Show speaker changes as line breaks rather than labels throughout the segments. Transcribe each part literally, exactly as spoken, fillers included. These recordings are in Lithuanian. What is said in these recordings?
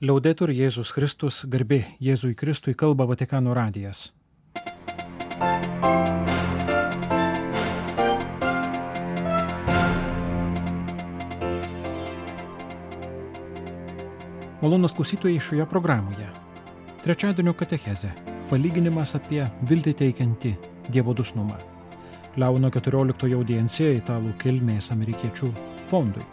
Liaudetur Jėzus Kristus, garbė Jėzui Kristui, kalba Vatikano radijas. Malonūs klausytojai šioje programoje. Trečiadienio katechezė. Palyginimas apie viltį teikiantį Dievo dosnumą. Leono keturioliktojo audiencija italų kilmės amerikiečių fondui.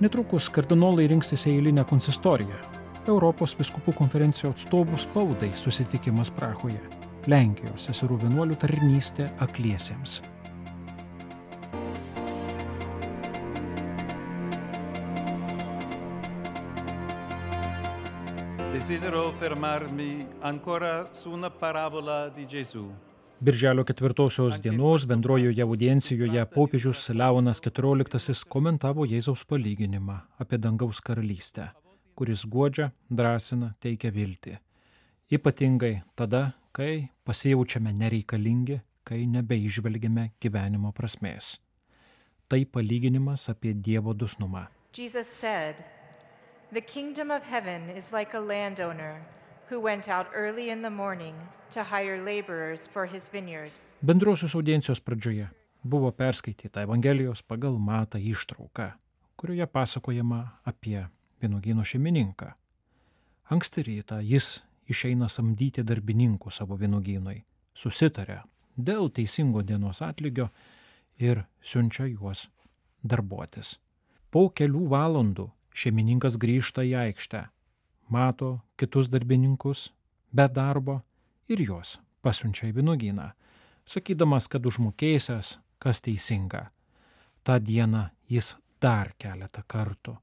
Netrukus kardinolai rinksis į eilinę konsistoriją. Europos vyskupų konferencijos atstovų spaudai susitikimas Prahoje. Lenkijos seserų vienuolių tarnystė akliesiems.
Desidero fermarmi ancora su una parabola di Gesù.
Birželio ketvirtosios dienos bendrojoje audiencijoje popiežius Leonas keturioliktasis komentavo Jėzaus palyginimą apie dangaus karalystę, kuris guodžia, drąsina, teikia viltį. Ypatingai tada, kai pasijaučiame nereikalingi, kai nebeižvelgiame gyvenimo prasmės. Tai palyginimas apie Dievo dosnumą.
Jesus said, "The kingdom of heaven is like a landowner who went out early in the morning to hire laborers for his vineyard."
Bendrosios audiencijos pradžioje buvo perskaityta Evangelijos pagal Matą ištrauka, kurioje pasakojama apie vynuogyno šeimininką. Anksti rytą jis išeina samdyti darbininkų savo vynuogynui, susitaria dėl teisingo dienos atlygio ir siunčia juos darbuotis. Po kelių valandų šeimininkas grįžta į aikštę, mato kitus darbininkus be darbo ir juos pasiunčia į vynuogyną, sakydamas, kad užmokėsiąs, kas teisinga. Ta diena jis dar keletą kartų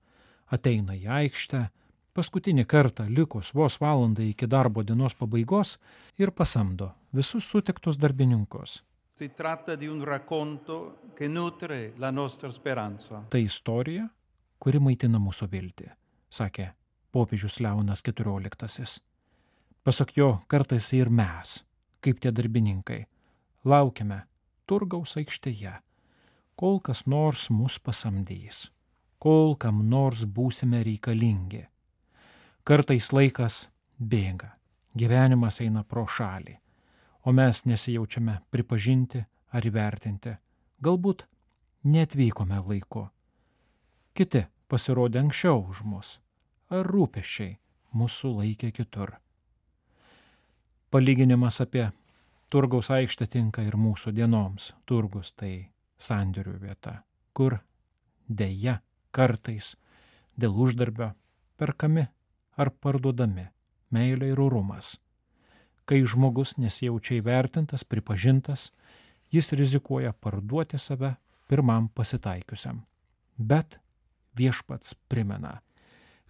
ateina į aikštę, paskutinį kartą likus vos valandai iki darbo dienos pabaigos ir pasamdo visus sutiktus darbininkus.
Si tratta di un racconto che nutre la nostra speranza.
Tai istorija, kuri maitina mūsų viltį, sakė popiežius Leonas keturioliktasis. Pasak jo, kartais ir mes, kaip tie darbininkai, laukiame turgaus aikštėje, kol kas nors mus pasamdys, kol kam nors būsime reikalingi. Kartais laikas bėga, gyvenimas eina pro šalį, o mes nesijaučiame pripažinti ar įvertinti, galbūt neatvykome laiku. Kiti pasirodė anksčiau už mus, ar rūpesčiai mūsų laikė kitur. Palyginimas apie turgaus aikštę tinka ir mūsų dienoms. Turgus tai sandėrių vieta, kur deja kartais dėl uždarbio perkami ar parduodami meilė ir orumas. Kai žmogus nesijaučia įvertintas, pripažintas, jis rizikuoja parduoti save pirmam pasitaikiusiam. Bet Viešpats primena,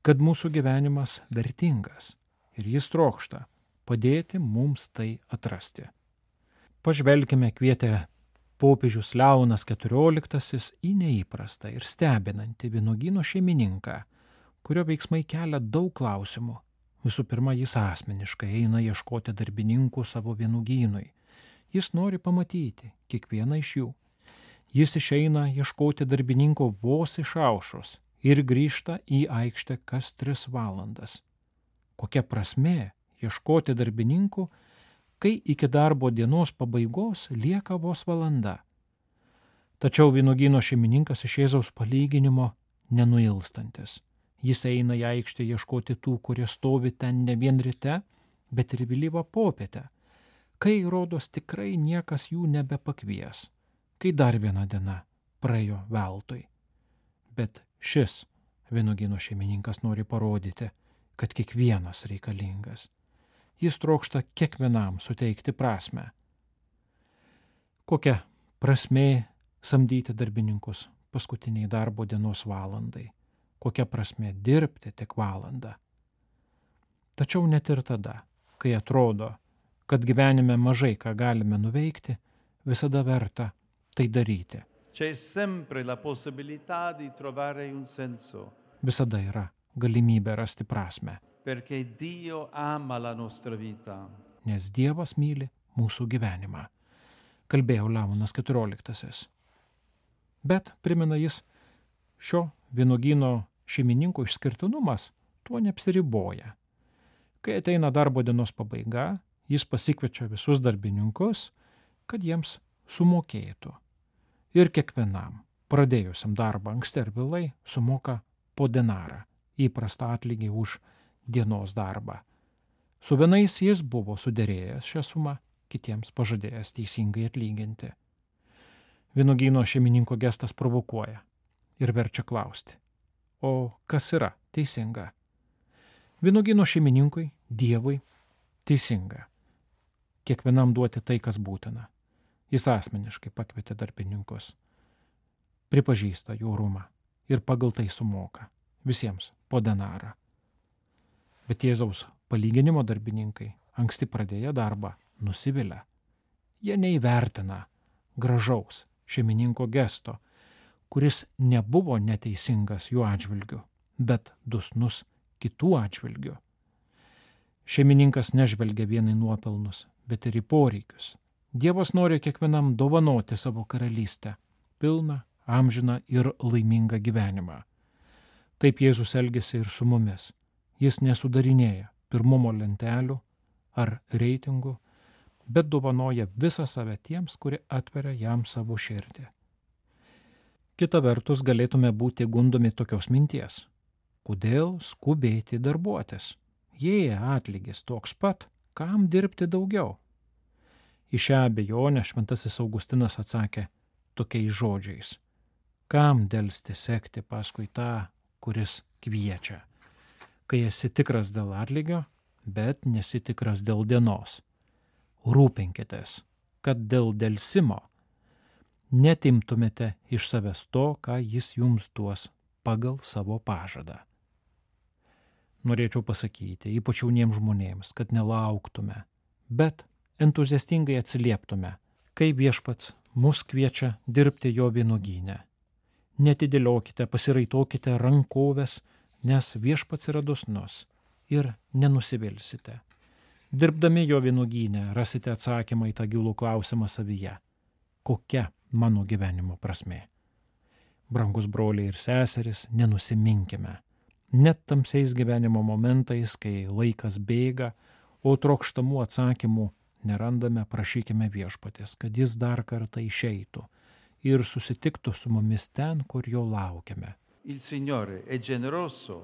kad mūsų gyvenimas vertingas ir jis trokšta padėti mums tai atrasti. Pažvelkime, kvietė popiežius Leonas keturioliktasis į neįprastą ir stebinantį vynuogyno šeimininką, kurio veiksmai kelia daug klausimų. Visų pirma, jis asmeniškai eina ieškoti darbininkų savo vynuogynui. Jis nori pamatyti kiekvieną iš jų. Jis išeina ieškoti darbininko vos išaušus ir grįžta į aikštę kas tris valandas. Kokia prasmė ieškoti darbininkų, kai iki darbo dienos pabaigos lieka vos valanda? Tačiau vynuogyno šeimininkas iš Jėzaus palyginimo nenuilstantis. Jis eina į aikštę ieškoti tų, kurie stovi ten ne vien ryte, bet ir vėlyvą popietę, kai rodos tikrai niekas jų nebepakvies, kai dar viena diena praėjo veltui. Bet šis vynuogyno šeimininkas nori parodyti, kad kiekvienas reikalingas. Jis trokšta kiekvienam suteikti prasmę. Kokia prasmė samdyti darbininkus paskutiniai darbo dienos valandai? Kokia prasmė dirbti tik valandą? Tačiau net ir tada, kai atrodo, kad gyvenime mažai ką galime nuveikti, visada verta tai daryti.
C'è sempre la possibilità di trovare un senso.
Visada yra galimybė rasti prasmę.
Perché Dio ama la nostra vita.
Nes Dievas myli mūsų gyvenimą. Kalbėjo Leonas keturioliktasis. Bet, primena jis, šio vynuogyno šeimininko išskirtinumas tuo neapsiriboja. Kai ateina darbo dienos pabaiga, jis pasikviečia visus darbininkus, kad jiems sumokėtų. Ir kiekvienam, pradėjusiam darbą anksti ar vėlai, sumoka po denarą, įprastą atlygį už dienos darbą. Su vienais jis buvo suderėjęs šią sumą, kitiems pažadėjęs teisingai atlyginti. Vynuogyno šeimininko gestas provokuoja ir verčia klausti, o kas yra teisinga? Vynuogyno šeimininkui, Dievui, teisinga. Kiekvienam duoti tai, kas būtina. Jis asmeniškai pakvietė darbininkus, pripažįsta jų orumą ir pagal tai sumoka visiems po denarą. Bet Jėzaus palyginimo darbininkai, anksti pradėję darbą, nusivilia. Jie neįvertina gražaus šeimininko gesto, kuris nebuvo neteisingas jų atžvilgiu, bet dusnus kitų atžvilgių. Šeimininkas nežvelgia vien į nuopelnus, bet ir į poreikius. Dievas nori kiekvienam dovanoti savo karalystę, pilną, amžiną ir laimingą gyvenimą. Taip Jėzus elgiasi ir su mumis. Jis nesudarinėja pirmumo lentelių ar reitingų, bet dovanoja visą save tiems, kurie atveria jam savo širdį. Kita vertus galėtume būti gundomi tokios minties. Kodėl skubėti darbuotis? Jei atlygis toks pat, kam dirbti daugiau? Į šią abejonę šventasis Augustinas atsakė tokiais žodžiais. Kam delsti sekti paskui tą, kuris kviečia? Kai esi tikras dėl atlygio, bet nesi tikras dėl dienos. Rūpinkitės, kad dėl delsimo netimtumėte iš savęs to, ką jis jums duos pagal savo pažadą. Norėčiau pasakyti, ypač jauniems žmonėms, kad nelauktume, bet entuziastingai atsilieptume, kai viešpats mus kviečia dirbti jo vynuogyne. Netidėliokite, pasiraitokite rankoves, nes viešpats yra dosnus ir nenusivilsite. Dirbdami jo vynuogyne rasite atsakymą į tą gilų klausimą savyje. Kokia mano gyvenimo prasmė? Brangus broliai ir seserys, nenusiminkime. Net tamsiais gyvenimo momentais, kai laikas bėga, o trokštamų atsakymų nerandame, prašykime viešpatės, kad jis dar kartą išeitų ir susitiktų su mumis ten, kur jo laukiame.
Il Signore è generoso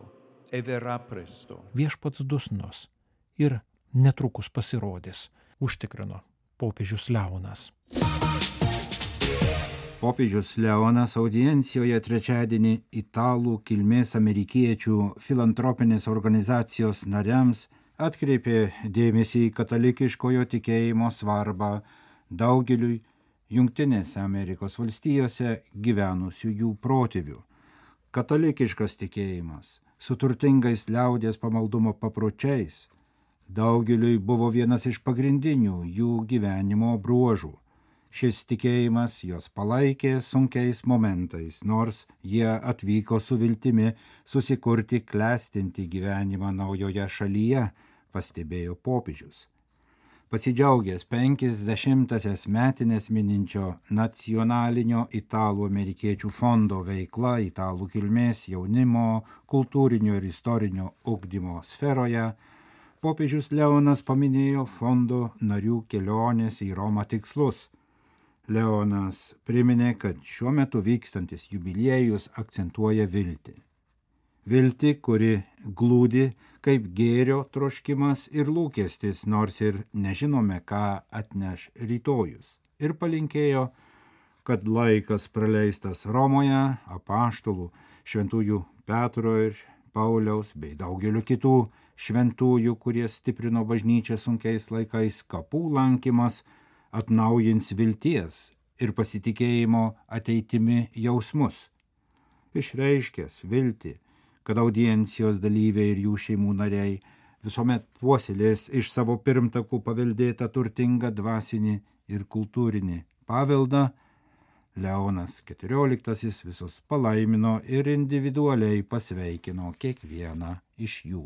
e verrà presto.
Viešpats dusnus ir netrukus pasirodys, užtikrino popiežius Leonas.
Popiežius Leonas audiencijoje trečiadienį italų kilmės amerikiečių filantropinės organizacijos nariams atkreipė dėmesį į katalikiškojo tikėjimo svarbą daugeliui Jungtinėse Amerikos valstijose gyvenusiųjų protėvių. Katalikiškas tikėjimas su turtingais liaudies pamaldumo papročiais daugeliui buvo vienas iš pagrindinių jų gyvenimo bruožų. Šis tikėjimas jos palaikė sunkiais momentais, nors jie atvyko su viltimi susikurti klestinti gyvenimą naujoje šalyje, pastebėjo popiežius. Pasidžiaugęs penkiasdešimtąsias metinės mininčio nacionalinio italų amerikiečių fondo veikla italų kilmės jaunimo, kultūrinio ir istorinio ugdymo sferoje, popiežius Leonas paminėjo fondo narių kelionės į Romą tikslus. Leonas priminė, kad šiuo metu vykstantis jubiliejus akcentuoja viltį. Viltį, kuri glūdi kaip gėrio troškimas ir lūkestis, nors ir nežinome, ką atneš rytojus. Ir palinkėjo, kad laikas praleistas Romoje, apaštalų, šventųjų Petro ir Pauliaus bei daugelių kitų šventųjų, kurie stiprino bažnyčią sunkiais laikais, kapų lankymas, atnaujins vilties ir pasitikėjimo ateitimi jausmus. Išreiškęs viltį, kad audiencijos dalyviai ir jų šeimų nariai visuomet puoselės iš savo pirmtakų paveldėtą turtingą dvasinį ir kultūrinį paveldą, Leonas keturioliktasis visus palaimino ir individualiai pasveikino kiekvieną iš jų.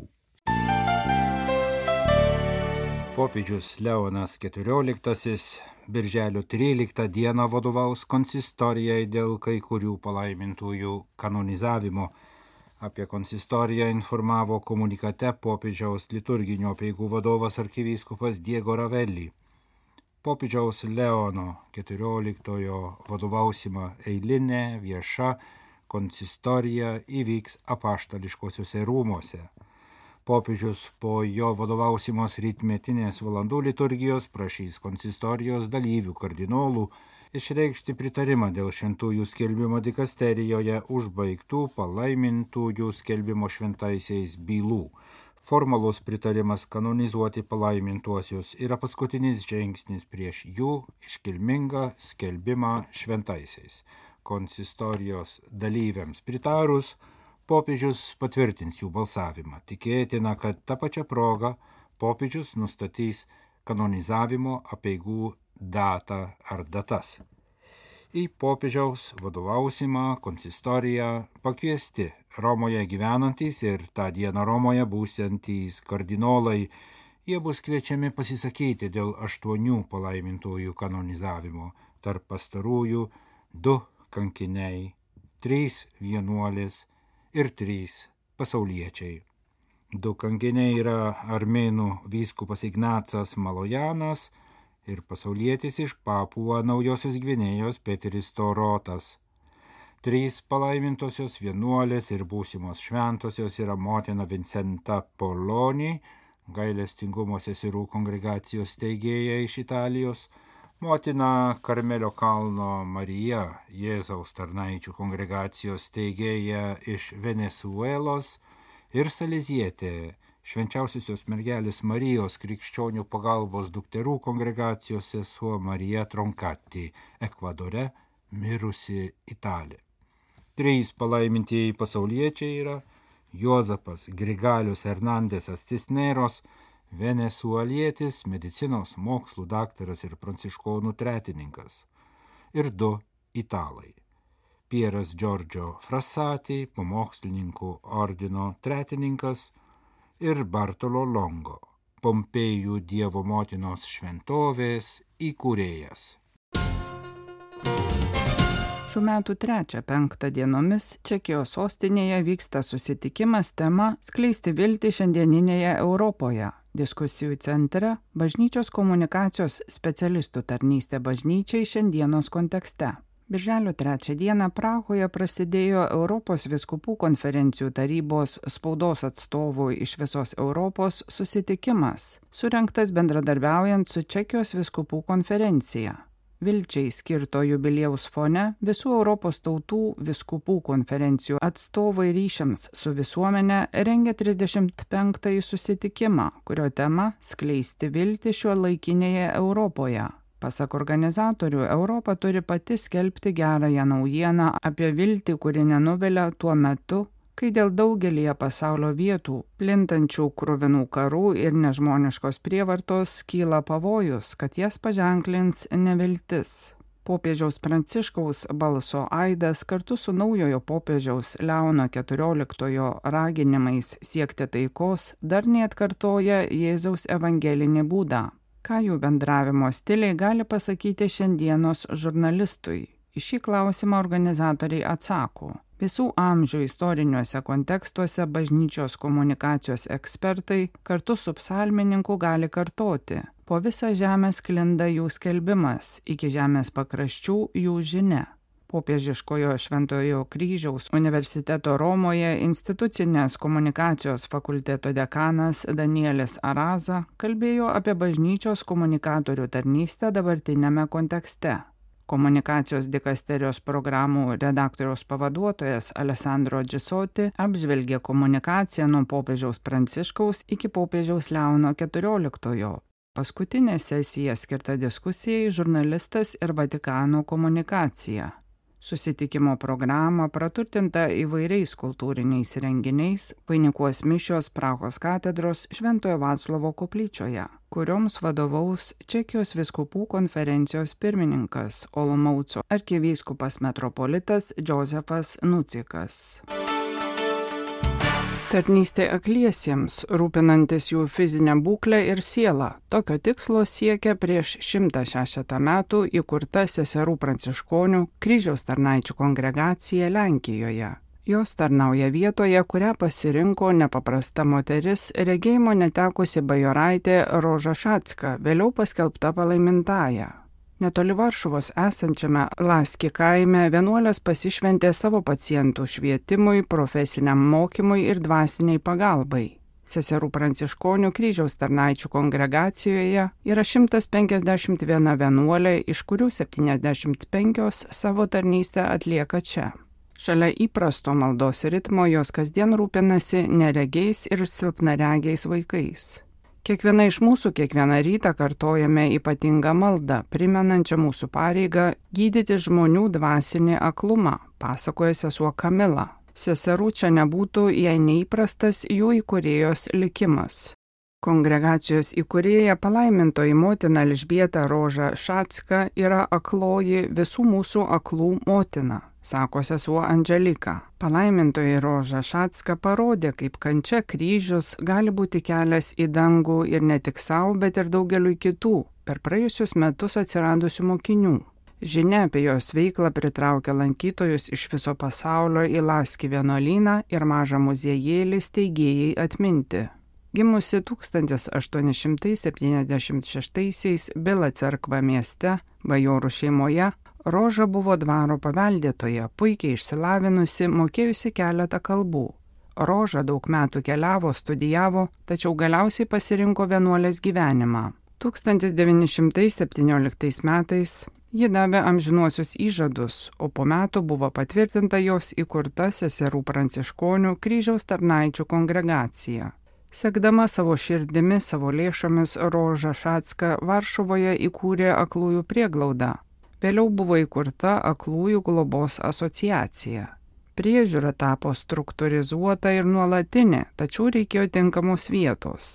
Popiežius Leonas keturioliktasis birželio tryliktą dieną vadovaus konsistorijai dėl kai kurių palaimintųjų kanonizavimo. Apie konsistoriją informavo komunikate popiežiaus liturginio apeigų vadovas arkivyskupas Diego Ravelli. Popiežiaus Leono keturioliktojo vadovausima eilinė vieša konsistorija įvyks apaštališkosiuose rūmuose. Popiežius po jo vadovausimos rytmetinės valandų liturgijos prašys konsistorijos dalyvių kardinolų išreikšti pritarimą dėl šventųjų skelbimo dikasterijoje užbaigtų palaimintųjų skelbimo šventaisiais bylų. Formalus pritarimas kanonizuoti palaimintuosius yra paskutinis žingsnis prieš jų iškilmingą skelbimą šventaisiais. Konsistorijos dalyviams pritarus, popiežius patvirtins jų balsavimą. Tikėtina, kad tą pačią progą popiežius nustatys kanonizavimo apeigų datą ar datas. Į popiežiaus vadovausimą konsistoriją pakviesti Romoje gyvenantys ir tą dieną Romoje būsiantys kardinolai. Jie bus kviečiami pasisakyti dėl aštuonių palaimintųjų kanonizavimo, tarp pastarųjų du kankiniai, trys vienuolės ir trys pasauliečiai. Du kankiniai yra armėnų vyskupas Ignacas Malojanas ir pasaulietis iš Papua Naujosios Gvinėjos Peteris Torotas. Trys palaimintosios vienuolės ir būsimos šventosios yra motina Vincenta Poloni, gailestingumo seserų kongregacijos steigėja iš Italijos, motina Karmelio kalno Marija, Jėzaus tarnaičių kongregacijos steigėja iš Venesuelos ir salezietė, švenčiausiosios mergelės Marijos krikščionių pagalbos dukterų kongregacijos sesuo Marija Troncati, Ekvadore mirusi Italė. Trys palaimintieji pasauliečiai yra Juozapas Grigalius Hernandesas Cisneros, venesuelietis, medicinos mokslų daktaras ir pranciškonų tretininkas, ir du italai. Pieras Giorgio Frassati, pamokslininkų ordino tretininkas, ir Bartolo Longo, Pompėjų Dievo motinos šventovės įkūrėjas.
Šių metų trečią penktą dienomis Čekijos sostinėje vyksta susitikimas tema Skleisti viltį šiandieninėje Europoje. Diskusijų centre bažnyčios komunikacijos specialistų tarnystė bažnyčiai šiandienos kontekste. Birželio trečią dieną Prahoje prasidėjo Europos vyskupų konferencijų tarybos spaudos atstovų iš visos Europos susitikimas, surengtas bendradarbiaujant su Čekijos vyskupų konferencija. Vilčiai skirto jubiliejaus fone visų Europos tautų vyskupų konferencijų atstovai ryšiams su visuomenė rengia trisdešimt penktąjį susitikimą, kurio tema Skleisti viltį šiuolaikinėje Europoje. Pasak organizatorių, Europa turi pati skelbti gerąją naujieną apie viltį, kuri nenuvilia tuo metu, kai dėl daugelėje pasaulio vietų plintančių kruvinų karų ir nežmoniškos prievartos kyla pavojus, kad jas paženklins neviltis. Popiežiaus Pranciškaus balso aidas kartu su naujojo popiežiaus Leono keturioliktojo raginimais siekti taikos dar neatkartoja Jėzaus evangelinį būdą. Ką jų bendravimo stiliai gali pasakyti šiandienos žurnalistui? Į šį klausimą organizatoriai atsako. Visų amžių istoriniuose kontekstuose bažnyčios komunikacijos ekspertai kartu su psalmininku gali kartoti. Po visą žemę sklinda jų skelbimas, iki žemės pakraščių jų žinia. Popiežiškojo Šventojo Kryžiaus universiteto Romoje institucinės komunikacijos fakulteto dekanas Danielis Araza kalbėjo apie bažnyčios komunikatorių tarnystę dabartinėme kontekste. Komunikacijos dikasterijos programų redaktoriaus pavaduotojas Alessandro Gisoti apžvelgė komunikaciją nuo popiežiaus Pranciškaus iki popiežiaus Leono keturioliktojo. Paskutinė sesija skirta diskusijai žurnalistas ir Vatikano komunikacija. Susitikimo programą praturtinta įvairiais kultūriniais renginiais vainikuos mišios Prahos katedros Šventojo Vaclovo koplyčioje, kurioms vadovaus Čekijos vyskupų konferencijos pirmininkas Olomouco arkivyskupas metropolitas Džozefas Nucikas. Tarnystė akliesiems, rūpinantis jų fizinę būklę ir sielą. Tokio tikslo siekia prieš šimtą šešiasdešimt metų įkurta seserų pranciškonių Kryžiaus tarnaičių kongregacija Lenkijoje. Jos tarnauja vietoje, kurią pasirinko nepaprasta moteris, regėjimo netekusi bajoraitė Roža Šatska, vėliau paskelbta palaimintaja. Netoli Varšuvos esančiame Laski kaime vienuolės pasišventė savo pacientų švietimui, profesiniam mokymui ir dvasiniai pagalbai. Seserų pranciškonių kryžiaus tarnaičių kongregacijoje yra šimtas penkiasdešimt viena vienuolė, iš kurių septyniasdešimt penkios savo tarnystę atlieka čia. Šalia įprasto maldos ritmo jos kasdien rūpinasi neregiais ir silpnaregiais vaikais. Kiekviena iš mūsų kiekvieną rytą kartojame ypatingą maldą, primenančią mūsų pareigą gydyti žmonių dvasinį aklumą, pasakoja sesuo Kamila. Seserų čia nebūtų, jei neįprastas jų įkūrėjos likimas. Kongregacijos įkūrėja palaimintoji motina Elžbieta Roža Šatska yra akloji visų mūsų aklų motina, sako sesuo Andželika. Palaimintoji Roža Šatska parodė, kaip kančia kryžius gali būti kelias į dangų ir ne tik savo, bet ir daugeliui kitų, per praėjusius metus atsiradusių mokinių. Žinia apie jos veiklą pritraukia lankytojus iš viso pasaulio į Laski vienuolyną ir mažą muziejėlį steigėjai atminti. Gimusi tūkstantis aštuoni šimtai septyniasdešimt šeštaisiais Bila cerkva mieste, bajorų šeimoje, Roža buvo dvaro paveldėtoja, puikiai išsilavinusi, mokėjusi keletą kalbų. Roža daug metų keliavo, studijavo, tačiau galiausiai pasirinko vienuolės gyvenimą. tūkstantis devyni šimtai septynioliktais metais ji davė amžinuosius įžadus, o po metų buvo patvirtinta jos įkurta seserų pranciškonių kryžiaus tarnaičių kongregacija. Sekdama savo širdimi, savo lėšomis, Roža Šatska Varšuvoje įkūrė aklųjų prieglaudą. Vėliau buvo įkurta aklųjų globos asociacija. Priežiūra tapo struktūrizuota ir nuolatinė, tačiau reikėjo tinkamos vietos.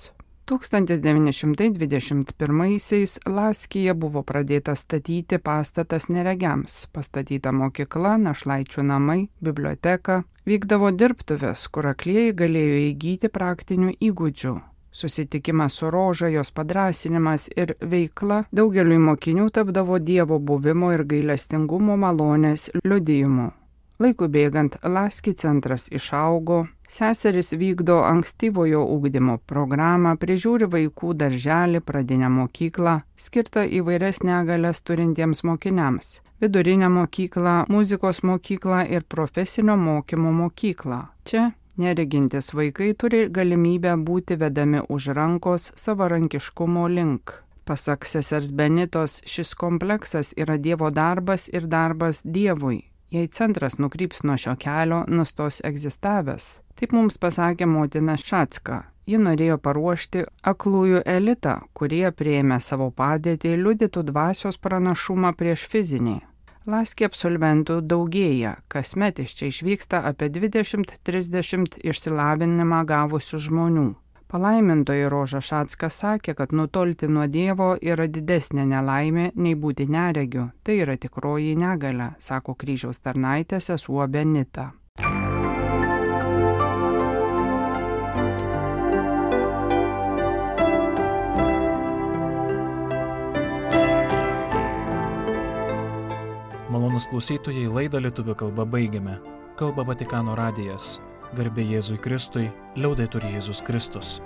tūkstantis devyni šimtai dvidešimt pirmaisiais Laskija buvo pradėta statyti pastatas neregiams, pastatyta mokykla, našlaičių namai, biblioteka, vykdavo dirbtuvės, kur aklieji galėjo įgyti praktinių įgūdžių. Susitikimas su Roža, jos padrąsinimas ir veikla daugeliui mokinių tapdavo Dievo buvimo ir gailestingumo malonės liudijimu. Laikui bėgant Laski centras išaugo, seseris vykdo ankstyvojo ugdymo programą, prižiūri vaikų darželį, pradinę mokyklą, skirtą įvairias negalias turintiems mokiniams, vidurinę mokyklą, muzikos mokyklą ir profesinio mokymo mokyklą. Čia neregintis vaikai turi galimybę būti vedami už rankos savarankiškumo link. Pasak sesers Benitos, šis kompleksas yra Dievo darbas ir darbas Dievui. Jei centras nukryps nuo šio kelio, nustos egzistavęs. Taip mums pasakė motina Šatska. Ji norėjo paruošti aklųjų elitą, kurie prieėmė savo padėtį, liudytų dvasios pranašumą prieš fizinį. Laski absolventų daugėja, kasmet iš čia išvyksta apie dvidešimt trisdešimt išsilavinimą gavusių žmonių. Palaimintoji Roža Šatska sakė, kad nutolti nuo Dievo yra didesnė nelaimė nei būti neregiu. Tai yra tikroji negalia, sako kryžiaus tarnaitė sesuo Benita.
Malonūs klausytojai, laidą lietuvių kalba baigiame. Kalba Vatikano radijas. Garbė Jėzui Kristui, liaudetur Jėzus Kristus.